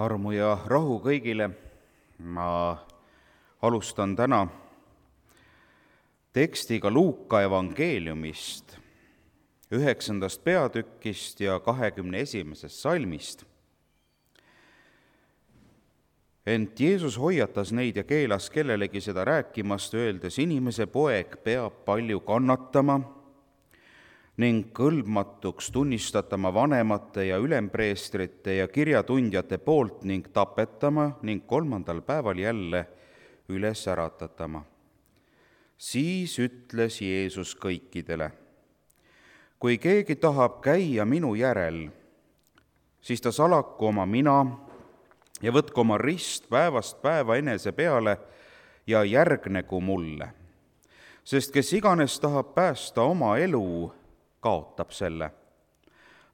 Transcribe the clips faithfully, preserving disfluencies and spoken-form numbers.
Armu ja rahu kõigile. Ma alustan täna tekstiga Luuka evangeeliumist, üheksandast peatükist ja kahekümne esimesest salmist. Ent Jeesus hoiatas neid ja keelas kellelegi seda rääkimast, öeldes: inimese poeg peab palju kannatama ning kõlbmatuks tunnistatama vanemate ja ülempreestrite ja kirjatundjate poolt ning tapetama ning kolmandal päeval jälle üles äratatama. Siis ütles Jeesus kõikidele: kui keegi tahab käia minu järel, siis ta salaku oma mina ja võtku oma rist päevast päeva enese peale ja järgnegu mulle. Sest kes iganes tahab päästa oma elu, kaotab selle.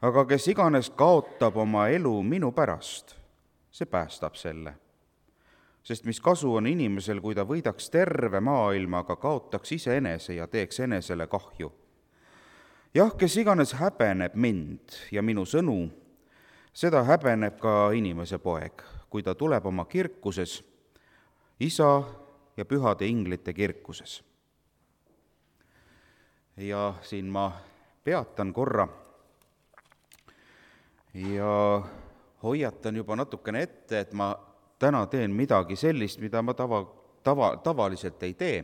Aga kes iganes kaotab oma elu minu pärast, see päästab selle. Sest mis kasu on inimesel, kui ta võidaks terve maailma, aga kaotaks iseenese ja teeks enesele kahju. Jah, kes iganes häbeneb mind ja minu sõnu, seda häbeneb ka inimese poeg, kui ta tuleb oma kirkuses, isa ja pühade inglite kirkuses. Ja siin ma peatan korra ja hoiatan juba natukene ette, et ma täna teen midagi sellist, mida ma tava, tava, tavaliselt ei tee.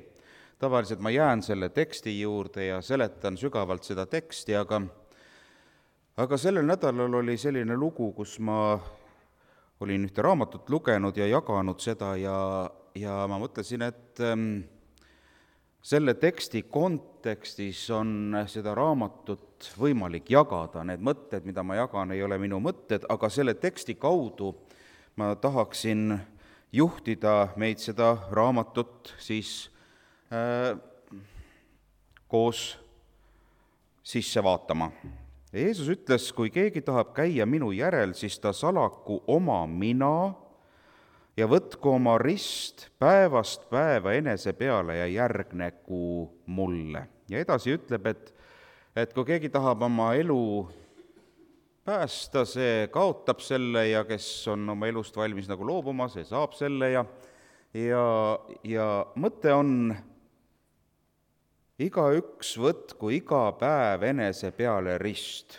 Tavaliselt ma jään selle teksti juurde ja seletan sügavalt seda teksti, aga, aga sellel nädalal oli selline lugu, kus ma olin ühte raamatut lugenud ja jaganud seda ja, ja ma mõtlesin, et ähm, selle teksti kontekstis on seda raamatut võimalik jagada. Need mõtted, mida ma jagan, ei ole minu mõtted, aga selle teksti kaudu ma tahaksin juhtida meid seda raamatut siis äh, koos sisse vaatama. Jeesus ütles, kui keegi tahab käia minu järel, siis ta salaku oma mina ja võtku oma rist päevast päeva enese peale ja järgnegu mulle. Ja edasi ütleb, et, et kui keegi tahab oma elu päästa, see kaotab selle ja kes on oma elust valmis nagu loobuma, see saab selle ja, ja, ja mõte on, igaüks võtku iga päev enese peale rist.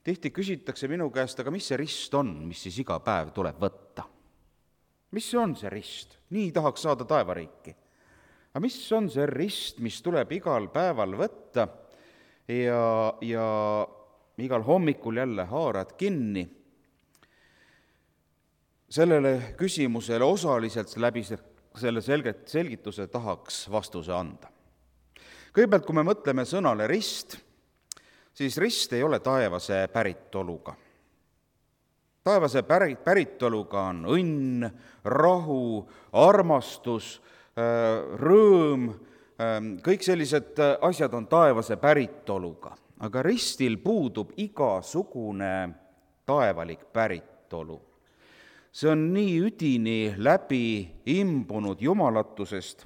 Tihti küsitakse minu käest, aga mis see rist on, mis siis iga päev tuleb võtta? Mis on see rist? Nii tahaks saada taevariiki. Aga mis on see rist, mis tuleb igal päeval võtta ja, ja igal hommikul jälle haarad kinni? Sellele küsimusele osaliselt läbi selle selget, selgituse tahaks vastuse anda. Kõigepealt, kui me mõtleme sõnale rist, siis rist ei ole taevase päritoluga. Taevase päritoluga on õnn, rahu, armastus, rõõm, kõik sellised asjad on taevase päritoluga. Aga ristil puudub igasugune taevalik päritolu. See on nii üdini läbi imbunud jumalatusest.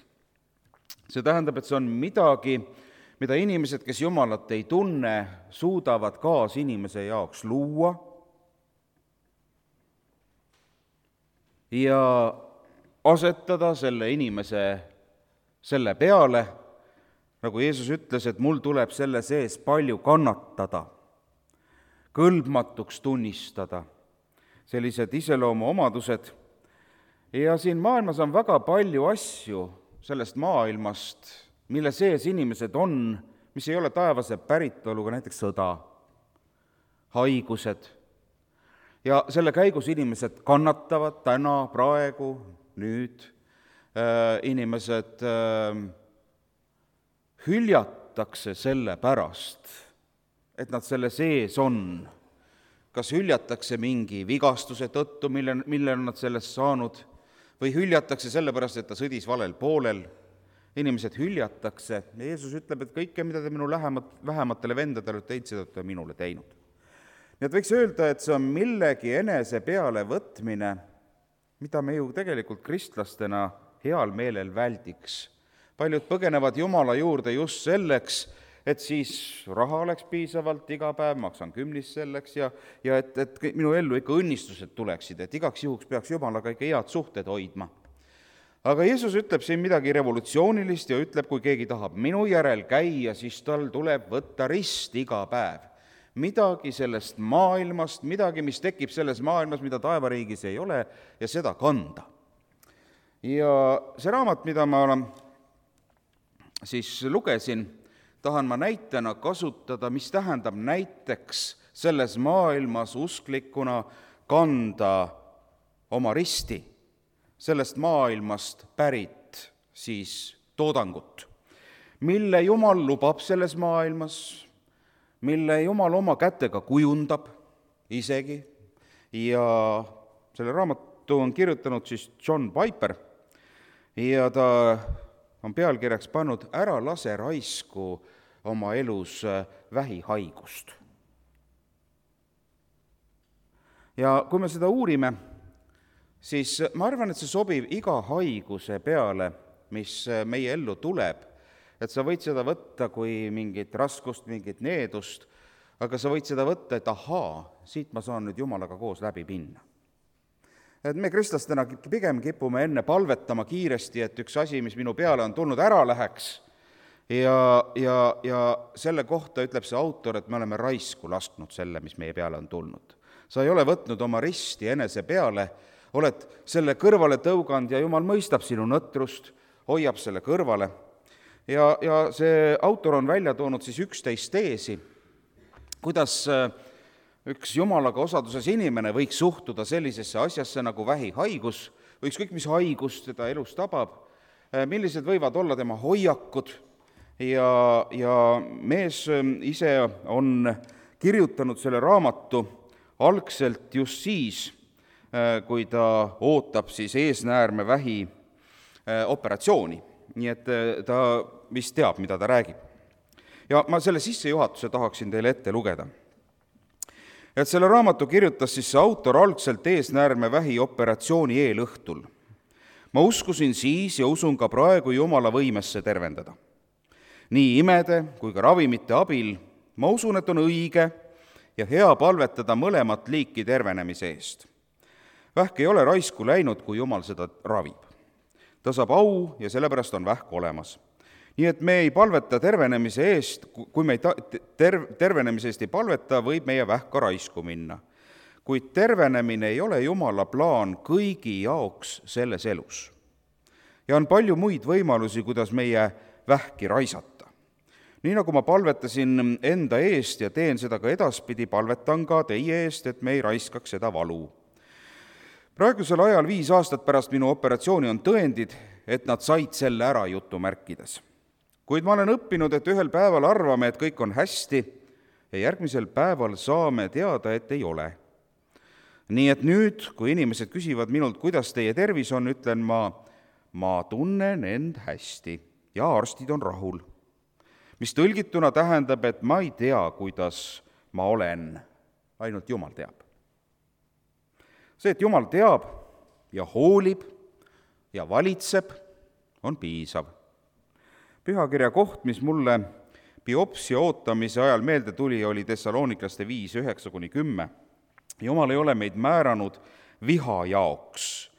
See tähendab, et see on midagi, mida inimesed, kes Jumalat ei tunne, suudavad kaas inimese jaoks luua ja asetada selle inimese selle peale, nagu Jeesus ütles, et mul tuleb selle sees palju kannatada, kõlbmatuks tunnistada, sellised iseloomu omadused. Ja siin maailmas on väga palju asju sellest maailmast, mille sees inimesed on, mis ei ole taevase päritoluga, näiteks sõda, haigused. Ja selle käigus inimesed kannatavad täna, praegu, nüüd. Äh, inimesed äh, hüljatakse selle pärast, et nad selle sees on. Kas hüljatakse mingi vigastuse tõttu, mille, mille on nad sellest saanud, või hüljatakse selle pärast, et ta sõdis valel poolel. Inimesed hüljatakse ja Jeesus ütleb, et kõike, mida te minu lähemat, vähematele vendadele teid, seda te minule teinud. Nii et võiks öelda, et see on millegi enese peale võtmine, mida me ju tegelikult kristlastena heal meelel väldiks. Paljud põgenevad Jumala juurde just selleks, et siis raha oleks piisavalt iga päev, maksan kümnist selleks ja, ja et, et minu ellu ikka õnnistused tuleksid, et igaks juhuks peaks Jumalaga ikka head suhted hoidma. Aga Jeesus ütleb siin midagi revolutsioonilist ja ütleb, kui keegi tahab minu järel käia, siis tal tuleb võtta rist iga päev. Midagi sellest maailmast, midagi, mis tekib selles maailmas, mida taevariigis ei ole, ja seda kanda. Ja see raamat, mida ma siis lugesin, tahan ma näitena kasutada, mis tähendab näiteks selles maailmas usklikuna kanda oma risti, sellest maailmast pärit siis toodangut, mille Jumal lubab selles maailmas, mille Jumal oma kätega kujundab isegi, ja selle raamatu on kirjutanud siis John Piper ja ta on pealkirjaks pannud Ära lase raisku oma elus vähihaigust. Ja kui me seda uurime, siis ma arvan, et see sobib iga haiguse peale, mis meie ellu tuleb, et sa võid seda võtta kui mingit raskust, mingit needust, aga sa võid seda võtta, et ahaa, siit ma saan nüüd Jumalaga koos läbi minna. Et me kristlastena pigem kipume enne palvetama kiiresti, et üks asi, mis minu peale on tulnud, ära läheks. Ja, ja, ja selle kohta ütleb see autor, et me oleme raisku lasknud selle, mis meie peale on tulnud. Sa ei ole võtnud oma risti enese peale, oled selle kõrvale tõuganud ja Jumal mõistab sinu nõtrust, hoiab selle kõrvale. Ja, ja see autor on välja toonud siis üksteist teesi, kuidas üks Jumalaga osaduses inimene võiks suhtuda sellisesse asjasse nagu vähihaigus, või ükskõik mis haigus teda elus tabab, millised võivad olla tema hoiakud, ja, ja mees ise on kirjutanud selle raamatu algselt just siis, kui ta ootab siis eesnäärme vähi operatsiooni, nii et ta vist teab, mida ta räägib. Ja ma selle sissejuhatuse tahaksin teile ette lugeda. Et selle raamatu kirjutas siis see autor algselt eesnäärme vähi operatsiooni eelõhtul. Ma uskusin siis ja usun ka praegu Jumala võimesse tervendada. Nii imede kui ka ravimite abil ma usun, et on õige ja hea palvetada mõlemat liiki tervenemise eest. Vähk ei ole raisku läinud, kui Jumal seda ravib. Ta saab au ja sellepärast on vähk olemas. Nii et me ei palveta tervenemise eest, kui me ei ta- ter- tervenemise eest ei palveta, võib meie vähk ka raisku minna. Kuid tervenemine ei ole Jumala plaan kõigi jaoks selles elus. Ja on palju muid võimalusi, kuidas meie vähki raisata. Nii nagu ma palvetasin enda eest ja teen seda ka edaspidi, palvetan ka teie eest, et me ei raiskaks seda valu. Praegusel ajal viis aastat pärast minu operatsiooni on tõendid, et nad said selle ära jutumärkides. Kuid ma olen õppinud, et ühel päeval arvame, et kõik on hästi ja järgmisel päeval saame teada, et ei ole. Nii et nüüd, kui inimesed küsivad minult, kuidas teie tervis on, ütlen ma, ma tunnen end hästi ja arstid on rahul. Mis tõlgituna tähendab, et ma ei tea, kuidas ma olen, ainult Jumal teab. See, et Jumal teab ja hoolib ja valitseb, on piisav. Pühakirja koht, mis mulle biopsia ootamise ajal meelde tuli, oli Thessaloniklaste viis, üheksa kuni kümme. Jumal ei ole meid määranud viha jaoks,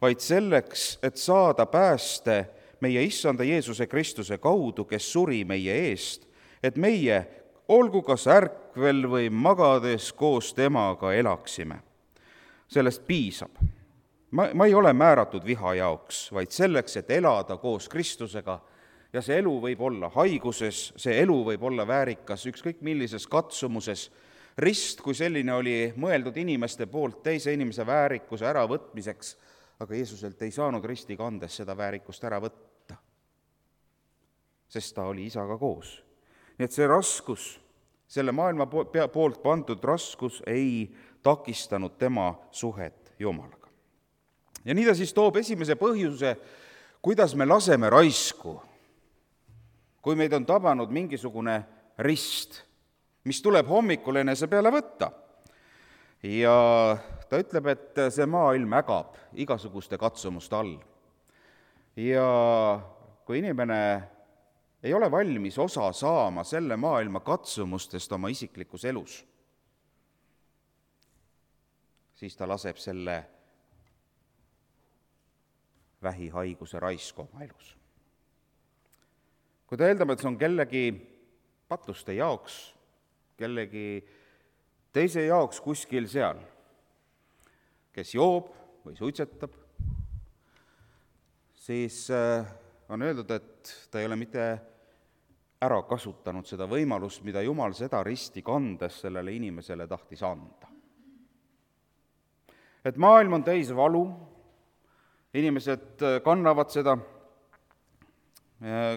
vaid selleks, et saada pääste meie Issanda Jeesuse Kristuse kaudu, kes suri meie eest, et meie, olgu kas ärkvel või magades koos temaga elaksime. Sellest piisab. Ma, ma ei ole määratud viha jaoks, vaid selleks, et elada koos Kristusega. Ja see elu võib olla haiguses, see elu võib olla väärikas, ükskõik millises katsumuses. Rist kui selline oli mõeldud inimeste poolt teise inimese väärikuse äravõtmiseks, aga Jeesuselt ei saanud risti kandes seda väärikust ära võtta, sest ta oli isaga koos. Nii et see raskus, selle maailma poolt pandud raskus ei takistanud tema suhet Jumalaga. Ja nii ta siis toob esimese põhjuse, kuidas me laseme raisku, kui meid on tabanud mingisugune rist, mis tuleb hommikul enese peale võtta. Ja ta ütleb, et see maailm ägab igasuguste katsumuste all. Ja kui inimene ei ole valmis osa saama selle maailma katsumustest oma isiklikus elus, siis ta laseb selle vähihaiguse raisku oma elus. Kui ta eeldab, et see on kellegi patuste jaoks, kellegi teise jaoks kuskil seal, kes joob või suitsetab, siis on öeldud, et ta ei ole mitte ära kasutanud seda võimalust, mida Jumal seda risti kandes sellele inimesele tahtis anda. Et maailm on täis valu, inimesed kannavad seda,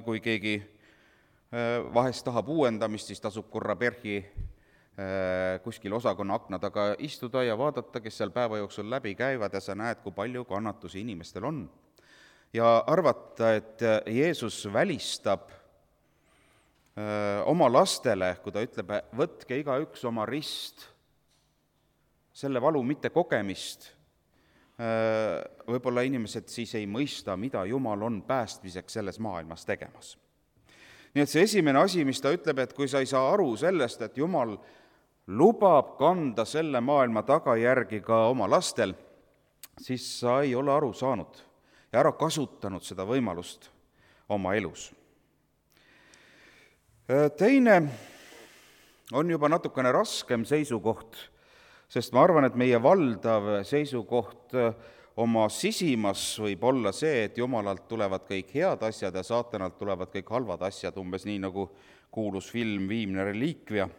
kui keegi vahest tahab uuendamist, siis tasub korra perhi kuskil osakonna akna taga istuda ja vaadata, kes seal päeva jooksul läbi käivad ja sa näed, kui palju kannatusi inimestel on. Ja arvata, et Jeesus välistab oma lastele, kui ta ütleb, võtke igaüks oma rist, selle valu mitte kogemist, võib-olla inimesed siis ei mõista, mida Jumal on päästmiseks selles maailmas tegemas. Nii et see esimene asi, mis ta ütleb, et kui sa ei saa aru sellest, et Jumal lubab kanda selle maailma tagajärgi ka oma lastel, siis sa ei ole aru saanud ja ära kasutanud seda võimalust oma elus. Teine on juba natukene raskem seisukoht, sest ma arvan, et meie valdav seisukoht oma sisimas võib olla see, et Jumalalt tulevad kõik head asjad ja saatanalt tulevad kõik halvad asjad, umbes nii nagu kuulus film Viimne reliikvia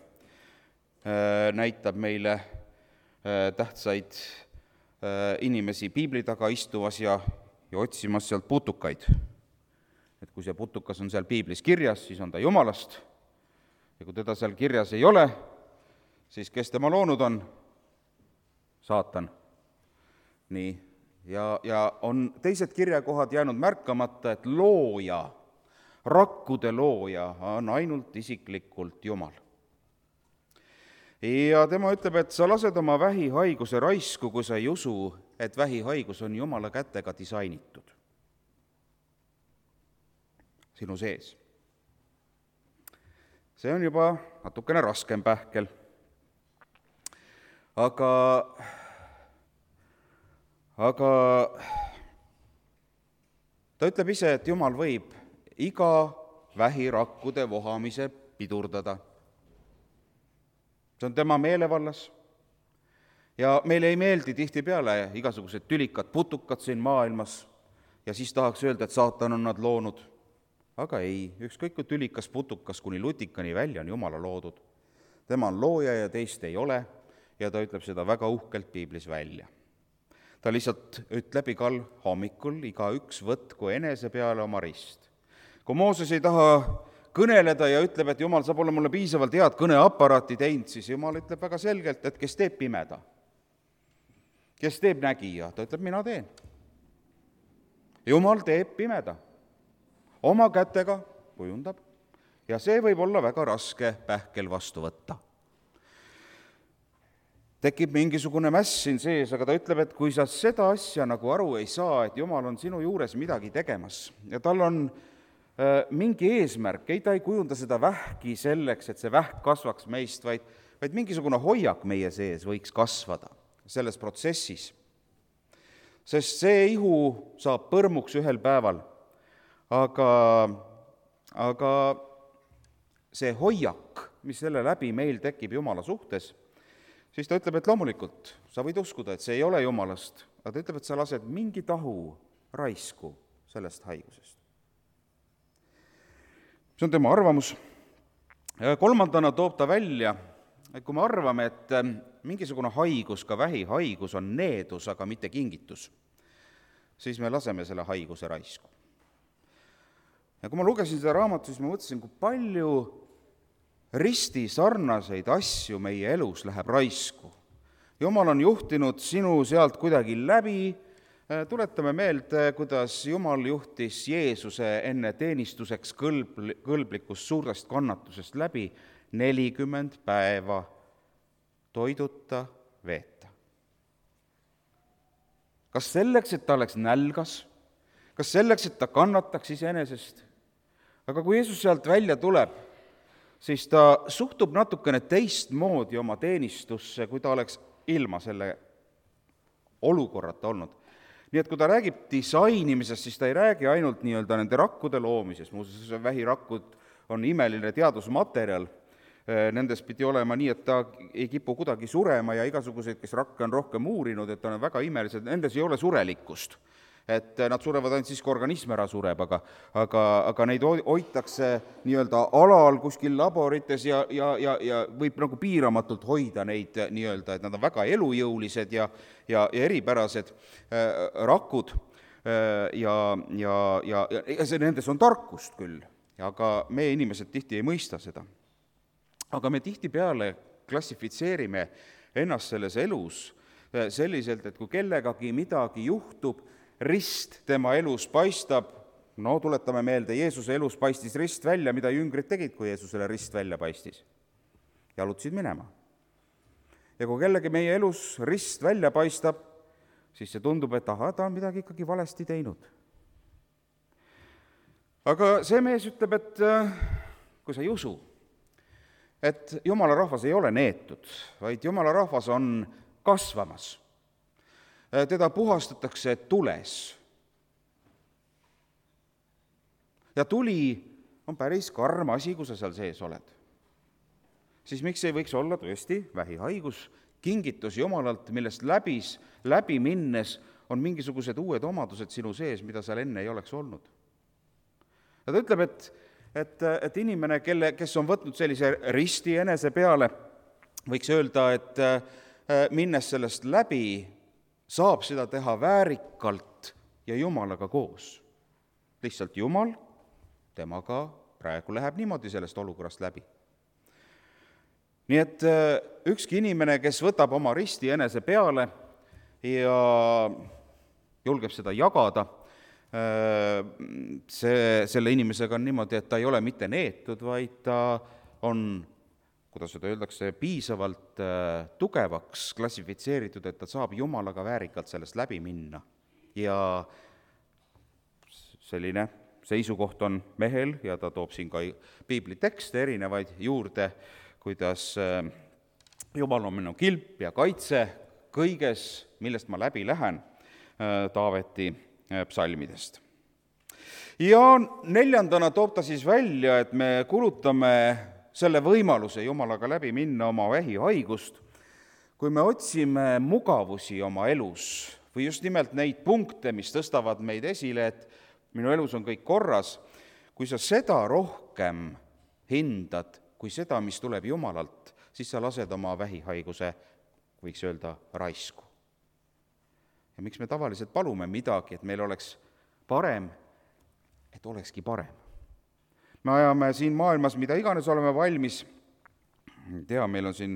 näitab meile tähtsaid inimesi piibli taga istuvas ja, ja otsimas sealt putukaid. Et kui see putukas on seal piiblis kirjas, siis on ta Jumalast, ja kui teda seal kirjas ei ole, siis kes tema loonud on? Saatan. Nii, ja, ja on teised kirjakohad jäänud märkamata, et looja, rakkude looja on ainult isiklikult Jumal. Ja tema ütleb, et sa lased oma vähihaiguse raisku, kui sa ei usu, et vähihaigus on Jumala kätega disainitud sinu sees. See on juba natukene raskem pähkel. Aga, aga ta ütleb ise, et Jumal võib iga vähirakkude vohamise pidurdada. See on tema meelevallas. Ja meile ei meeldi tihtipeale igasugused tülikad putukad siin maailmas ja siis tahaks öelda, et saatan on nad loonud. Aga ei, ükskõik kui tülikas putukas kuni lutikani välja on Jumala loodud. Tema on looja ja teist ei ole ja ta ütleb seda väga uhkelt piiblis välja. Ta lihtsalt ütleb igal hommikul, iga üks võtku enese peale oma rist. Kui Mooses ei taha kõneleda ja ütleb, et Jumal, sa pole mulle piisavalt head kõneaparaati teinud, siis Jumal ütleb väga selgelt, et kes teeb pimeda, kes teeb nägija, ta ütleb, mina teen. Jumal teeb pimeda, oma kätega kujundab ja see võib olla väga raske pähkel vastu võtta. Tekib mingisugune mäss siin sees, aga ta ütleb, et kui sa seda asja nagu aru ei saa, et Jumal on sinu juures midagi tegemas ja tal on mingi eesmärk, ei ta ei kujunda seda vähki selleks, et see vähk kasvaks meist, vaid, vaid mingisugune hoiak meie sees võiks kasvada selles protsessis. Sest see ihu saab põrmuks ühel päeval, aga, aga see hoiak, mis selle läbi meil tekib Jumala suhtes, siis ta ütleb, et loomulikult sa võid uskuda, et see ei ole Jumalast, aga ta ütleb, et sa lased mingi tahu raisku sellest haigusest. See on tema arvamus. Kolmandana toob ta välja, et kui me arvame, et mingisugune haigus, ka vähihaigus on needus, aga mitte kingitus, siis me laseme selle haiguse raisku. Ja kui ma lugesin seda raamatut, siis ma mõtlesin, kui palju risti sarnaseid asju meie elus läheb raisku. Jumal on juhtinud sinu sealt kuidagi läbi. Tuletame meelde, kuidas Jumal juhtis Jeesuse enne teenistuseks kõlb, kõlblikust suurest kannatusest läbi nelikümmend päeva toiduta veeta. Kas selleks, et ta oleks nälgas? Kas selleks, et ta kannataks iseenesest? aga kui Jeesus sealt välja tuleb, siis ta suhtub natukene teistmoodi oma teenistusse, kui ta oleks ilma selle olukorrata olnud. Nii et kui ta räägib disainimisest, siis ta ei räägi ainult nii-öelda nende rakkude loomisest, muuseas vähirakud on imeline teadusmaterjal, nendes pidi olema nii, et ta ei kipu kuidagi surema ja igasuguseid, kes rakke on rohkem uurinud, et on väga imelised, nendes ei ole surelikkust. Et nad surevad ainult siis, kui organism ära sureb, aga, aga, aga neid hoitakse nii-öelda alal kuskil laborites ja, ja, ja, ja võib nagu piiramatult hoida neid nii-öelda, et nad on väga elujõulised ja, ja, ja eripärased äh, rakud äh, ja, ja, ja, ja see, nendes on tarkust küll, aga meie inimesed tihti ei mõista seda. Aga me tihtipeale klassifitseerime ennast selles elus selliselt, et kui kellegagi midagi juhtub, rist tema elus paistab, no tuletame meelde, Jeesuse elus paistis rist välja, mida jüngrid tegid, kui Jeesusele rist välja paistis. Jalutasid minema. Ja kui kellegi meie elus rist välja paistab, siis see tundub, et aha, ta on midagi ikkagi valesti teinud. Aga see mees ütleb, et kui sa ei usu, et Jumala rahvas ei ole neetud, vaid Jumala rahvas on kasvamas. Teda puhastatakse tules. Ja tuli on päris karm asi, kui sa seal sees oled. Siis miks ei võiks olla tõesti vähihaigus, kingitus Jumalalt, millest läbis, läbi minnes on mingisugused uued omadused sinu sees, mida seal enne ei oleks olnud. Ja ta ütleb, et, et, et inimene, kelle, kes on võtnud sellise risti enese peale, võiks öelda, et minnes sellest läbi, saab seda teha väärikalt ja Jumalaga koos. Lihtsalt Jumal, temaga praegu läheb niimoodi sellest olukorrast läbi. Nii et ükski inimene, kes võtab oma risti enese peale ja julgeb seda jagada, see, selle inimesega on niimoodi, et ta ei ole mitte neetud, vaid ta on, kuidas seda öeldakse, piisavalt tugevaks klassifitseeritud, et ta saab Jumalaga väärikalt sellest läbi minna. Ja selline seisukoht on mehel ja ta toob siin ka piiblitekste erinevaid juurde, kuidas Jumal on minu kilp ja kaitse kõiges, millest ma läbi lähen, Taaveti psalmidest. Ja neljandana toob ta siis välja, et me kulutame selle võimaluse Jumalaga läbi minna oma vähihaigust, kui me otsime mugavusi oma elus või just nimelt neid punkte, mis tõstavad meid esile, et minu elus on kõik korras, kui sa seda rohkem hindad kui seda, mis tuleb Jumalalt, siis sa lased oma vähihaiguse, võiks öelda, raisku. Ja miks me tavaliselt palume midagi, et meil oleks parem, et olekski parem. Me ajame siin maailmas, mida iganes oleme valmis, tea, meil on siin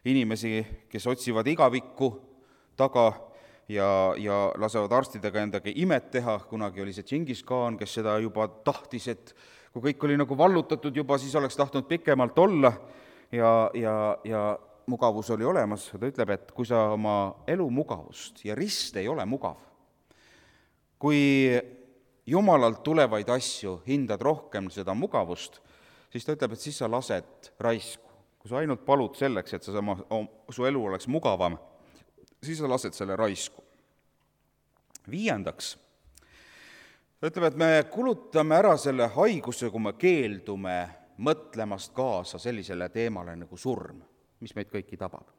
inimesi, kes otsivad igavikku taga ja, ja lasevad arstidega endaga imet teha, kunagi oli see Džingis Khan, kes seda juba tahtis, et kui kõik oli nagu vallutatud juba, siis oleks tahtnud pikemalt olla ja, ja, ja mugavus oli olemas. Ta ütleb, et kui sa oma elu mugavust, ja rist ei ole mugav, kui Jumalalt tulevaid asju hindad rohkem seda mugavust, siis ta ütleb, et siis sa lased raisku. Kui sa ainult palud selleks, et sa sama, su elu oleks mugavam, siis sa lased selle raisku. Viiendaks, ta ütleb, et me kulutame ära selle haiguse, kui me keeldume mõtlemast kaasa sellisele teemale nagu surm, mis meid kõiki tabab.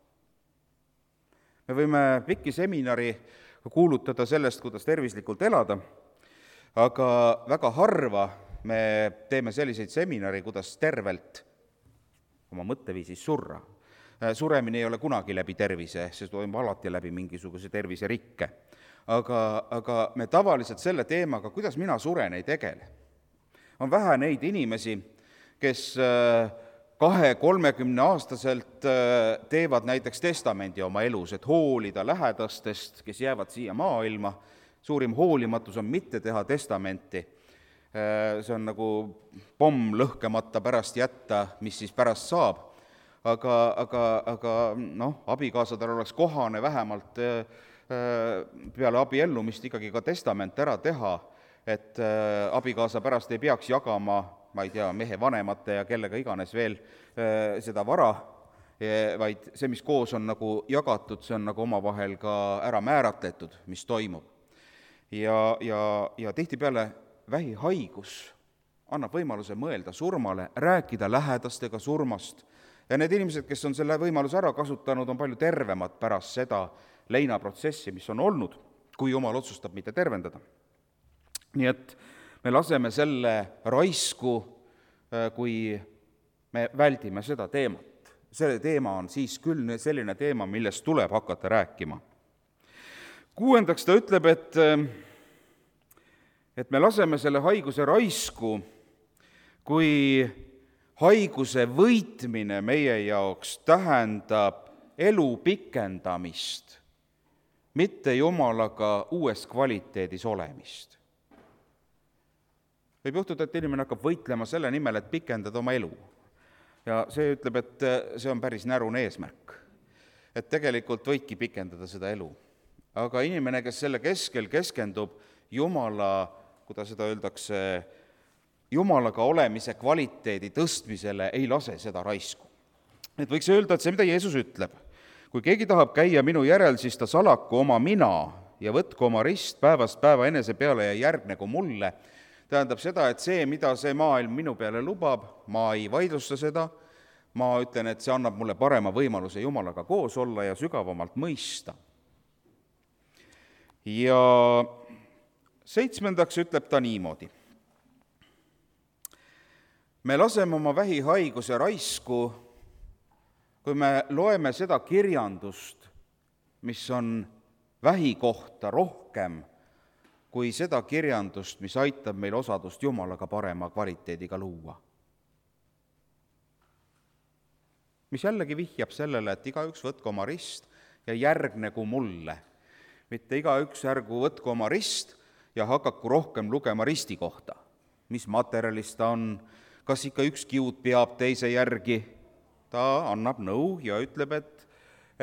Me võime pikki seminari kuulutada sellest, kuidas tervislikult elada, aga väga harva me teeme selliseid seminari, kuidas tervelt oma mõtteviisis surra. Suremine ei ole kunagi läbi tervise, see toimub alati läbi mingisuguse terviserikke. Aga, aga me tavaliselt selle teemaga, kuidas mina suren, ei tegele. On vähe neid inimesi, kes kahe-kolmekümne aastaselt teevad näiteks testamendi oma elus, et hoolida lähedastest, kes jäävad siia maailma. Suurim hoolimatus on mitte teha testamenti. See on nagu pomm lõhkemata pärast jätta, mis siis pärast saab. Aga, aga, aga noh, abikaasadel oleks kohane vähemalt peale abiellumist ikkagi ka testament ära teha, et abikaasa pärast ei peaks jagama ma ei tea, mehe vanemate ja kellega iganes veel seda vara, vaid see, mis koos on nagu jagatud, see on nagu omavahel ka ära määratletud, mis toimub. Ja, ja, ja tihtipeale vähihaigus annab võimaluse mõelda surmale, rääkida lähedastega surmast. Ja need inimesed, kes on selle võimaluse ära kasutanud, on palju tervemad pärast seda leinaprotsessi, mis on olnud, kui Jumal otsustab mitte tervendada. Nii et me laseme selle raisku, kui me väldime seda teemat. See teema on siis küll selline teema, millest tuleb hakata rääkima. Kuuendaks ta ütleb, et, et me laseme selle haiguse raisku, kui haiguse võitmine meie jaoks tähendab elu pikendamist, mitte Jumalaga uues kvaliteedis olemist. Võib juhtuda, et inimene hakkab võitlema selle nimel, et pikendada oma elu. Ja see ütleb, et see on päris närune eesmärk. Et tegelikult võidki pikendada seda elu. Aga inimene, kes selle keskel keskendub Jumala, kuidas seda öeldakse, Jumalaga olemise kvaliteedi tõstmisele, ei lase seda raisku. Et võiks öelda, et see, mida Jeesus ütleb, kui keegi tahab käia minu järel, siis ta salaku oma mina ja võtku oma rist päevast päeva enese peale ja järgnegu mulle, tähendab seda, et see, mida see maailm minu peale lubab, ma ei vaidlusta seda, ma ütlen, et see annab mulle parema võimaluse Jumalaga koos olla ja sügavamalt mõista. Ja seitsmendaks ütleb ta niimoodi. Me laseme oma vähihaiguse raisku, kui me loeme seda kirjandust, mis on vähi kohta rohkem, kui seda kirjandust, mis aitab meil osadust Jumalaga parema kvaliteediga luua. Mis jällegi vihjab sellele, et igaüks võtku oma rist ja järgnegu mulle. Mitte igaüks ärgu võtku oma rist ja hakaku rohkem lugema risti kohta. Mis materjalist ta on, kas ikka üks kiud peab teise järgi. Ta annab nõu ja ütleb, et,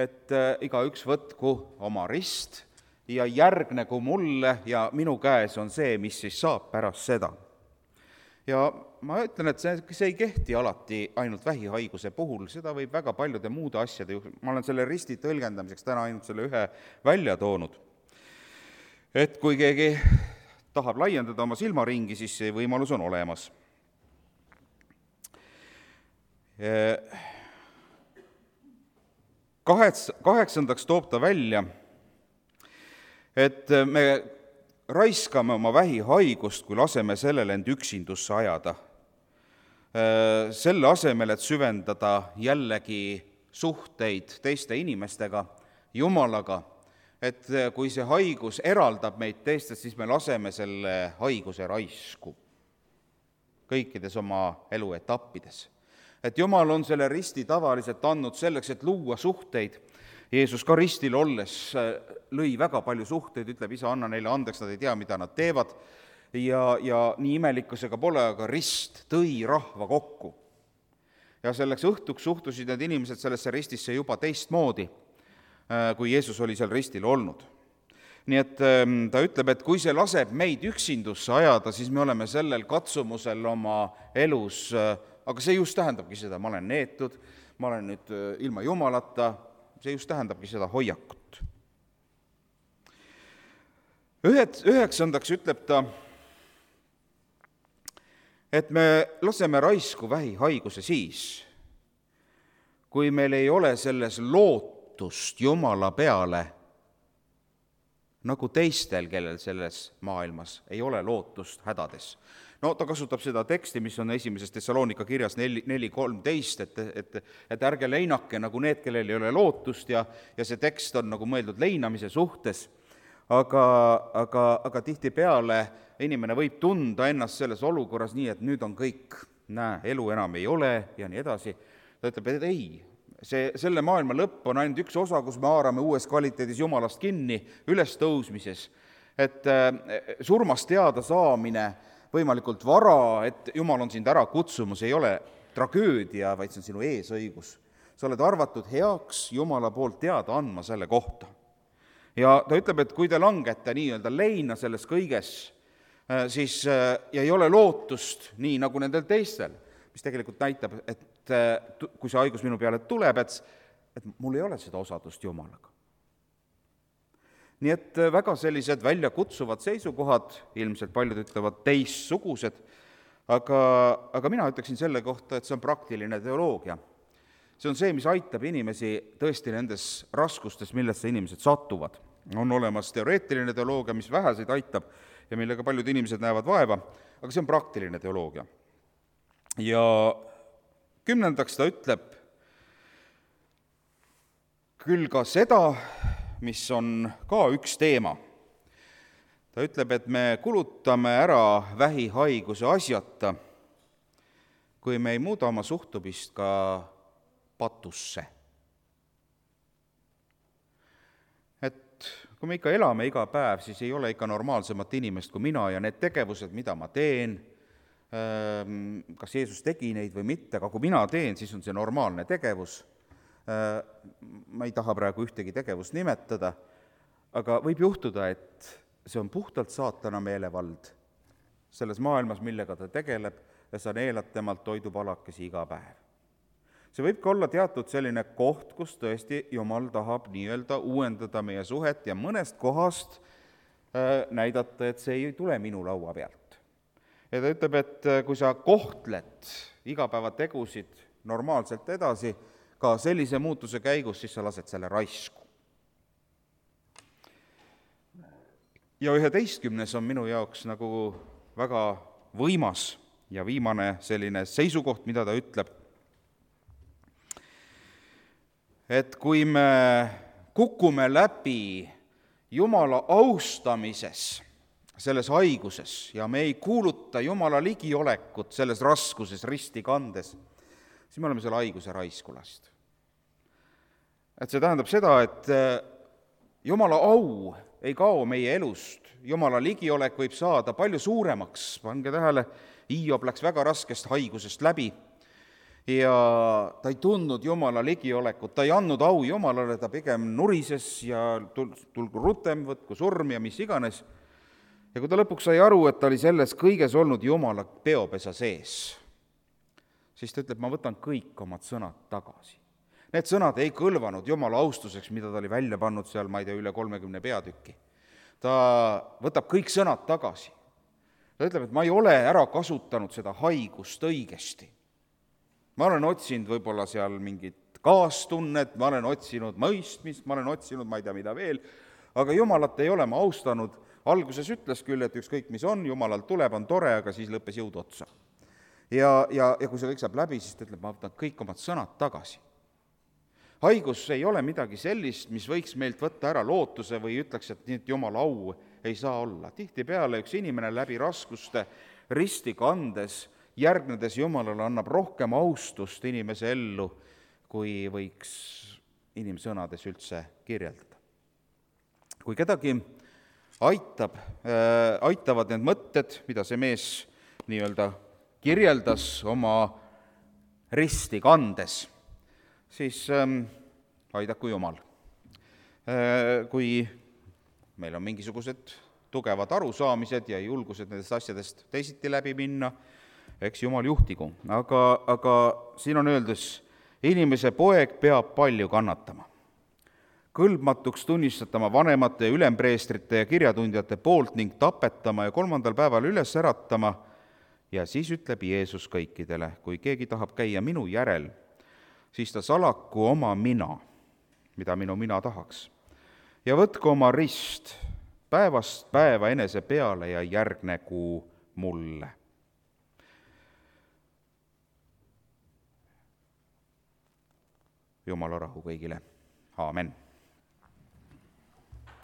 et igaüks võtku oma rist ja järgnegu mulle ja minu käes on see, mis siis saab pärast seda. Ja ma ütlen, et see, see ei kehti alati ainult vähihaiguse puhul, seda võib väga paljude muude asjade juhul. Ma olen selle risti tõlgendamiseks täna ainult selle ühe välja toonud. Et kui keegi tahab laiendada oma silmaringi, siis see võimalus on olemas. Kahets, kaheksandaks toob ta välja, et me raiskame oma vähihaigust, kui laseme sellele end üksindusse ajada. Selle asemel, et süvendada jällegi suhteid teiste inimestega, Jumalaga, et kui see haigus eraldab meid teistest, siis me laseme selle haiguse raisku kõikides oma eluetappides. Et Jumal on selle risti tavaliselt andnud selleks, et luua suhteid. Jeesus ka ristil olles lõi väga palju suhteid, ütleb, isa, anna neile andeks, nad ei tea, mida nad teevad. Ja, ja nii imelikkusega pole, aga rist tõi rahva kokku. Ja selleks õhtuks suhtusid need inimesed sellesse ristisse juba teistmoodi, kui Jeesus oli seal ristil olnud. Nii et ta ütleb, et kui see laseb meid üksindusse ajada, siis me oleme sellel katsumusel oma elus, aga see just tähendabki seda, ma olen neetud, ma olen nüüd ilma Jumalata, see just tähendabki seda hoiakut. Ühed, üheksandaks ütleb ta, et me laseme raisku vähihaiguse siis, kui meil ei ole selles lootust Jumala peale, nagu teistel, kellel selles maailmas ei ole lootust hädades. No ta kasutab seda teksti, mis on esimeses Tessaloonika kirjas neli kolmteist, et, et, et ärge leinake nagu need, kellel ei ole lootust ja, ja see tekst on nagu mõeldud leinamise suhtes, aga, aga, aga tihtipeale inimene võib tunda ennast selles olukorras nii, et nüüd on kõik, näe, elu enam ei ole ja nii edasi. Ta ütleb, et ei, see, selle maailma lõpp on ainult üks osa, kus me haarame uues kvaliteedis Jumalast kinni, üles tõusmises, et surmast teada saamine võimalikult vara, et Jumal on sind ära kutsumus, ei ole tragöödia, vaid see on sinu eesõigus. Sa oled arvatud heaks Jumala poolt teada andma selle kohta. Ja ta ütleb, et kui te langete nii-öelda leina selles kõiges, siis ja ei ole lootust nii nagu nendel teistel, mis tegelikult näitab, et kui see haigus minu peale tuleb, et, et mul ei ole seda osadust Jumalaga. Nii et väga sellised väljakutsuvad seisukohad, ilmselt paljud ütlevad teistsugused, aga, aga mina ütleksin selle kohta, et see on praktiline teoloogia. See on see, mis aitab inimesi tõesti nendes raskustes, millesse inimesed satuvad. On olemas teoreetiline teoloogia, mis väheseid aitab ja millega paljud inimesed näevad vaeva, aga see on praktiline teoloogia. Ja kümnendaks ta ütleb küll ka seda, mis on ka üks teema. Ta ütleb, et me kulutame ära vähihaiguse asjata, kui me ei muuda oma suhtumist ka patusse. Et kui me ikka elame iga päev, siis ei ole ikka normaalsemat inimest kui mina ja need tegevused, mida ma teen, kas Jeesus tegi neid või mitte, aga kui mina teen, siis on see normaalne tegevus. Ma ei taha praegu ühtegi tegevust nimetada, aga võib juhtuda, et see on puhtalt saatana meelevald selles maailmas, millega ta tegeleb, ja sa neelad temalt toidupalakesi iga päev. See võib ka olla teatud selline koht, kus tõesti Jumal tahab nii-öelda uuendada meie suhet ja mõnest kohast näidata, et see ei tule minu laua pealt. Ja ta ütleb, et kui sa kohtled igapäevategusid normaalselt edasi, ka sellise muutuse käigus, siis sa lased selle raisku. Ja üheteistkümnes on minu jaoks nagu väga võimas ja viimane selline seisukoht, mida ta ütleb, et kui me kukume läbi Jumala austamises selles haiguses ja me ei kuuluta Jumala ligiolekut selles raskuses risti kandes, siis me oleme selle haiguse raisku lastud. Et see tähendab seda, et Jumala au ei kao meie elust, Jumala ligiolek võib saada palju suuremaks, pange tähele, Hiob läks väga raskest haigusest läbi ja ta ei tundnud Jumala ligiolekut, ta ei andnud au Jumalale, ta pigem nurises ja tulgu rutem, võtku surm ja mis iganes. Ja kui ta lõpuks sai aru, et ta oli selles kõiges olnud Jumala peopesa sees, siis ta ütleb, ma võtan kõik omad sõnad tagasi. Need sõnad ei kõlvanud Jumala austuseks, mida ta oli välja pannud seal, ma ei tea, üle kolmekümne peatükki. Ta võtab kõik sõnad tagasi. Ta ütleb, et ma ei ole ära kasutanud seda haigust õigesti. Ma olen otsinud võib-olla seal mingit kaastunnet, ma olen otsinud mõistmist, ma olen otsinud, ma ei tea, mida veel, aga Jumalat ei ole ma austanud. Alguses ütles küll, et ükskõik mis on, Jumalalt tuleb, on tore, aga siis lõppes jõud otsa. Ja, ja, ja kui see kõik saab läbi, siis ta ütleb, ma võtan kõik omad sõnad tagasi. Haigus ei ole midagi sellist, mis võiks meilt võtta ära lootuse või ütleks, et nii, et Jumala au ei saa olla. Tihtipeale üks inimene läbi raskuste risti kandes, järgnedes Jumalale, annab rohkem austust inimese ellu, kui võiks inimsõnades üldse kirjeldada. Kui kedagi aitab, äh, aitavad need mõtted, mida see mees nii-öelda kirjeldas oma risti kandes, siis ähm, aidaku Jumal. Äh, kui meil on mingisugused tugevad arusaamised ja julgused nendest asjadest teisiti läbi minna, eks Jumal juhtigu. Aga, aga siin on öeldes, inimese poeg peab palju kannatama. Kõlbmatuks tunnistatama vanemate ja ülempreestrite ja kirjatundjate poolt ning tapetama ja kolmandal päeval üles äratama. Ja siis ütleb Jeesus kõikidele, kui keegi tahab käia minu järel, siis ta salaku oma mina, mida minu mina tahaks. Ja võtku oma rist päevast päeva enese peale ja järgnegu mulle. Jumala rahu kõigile. Aamen.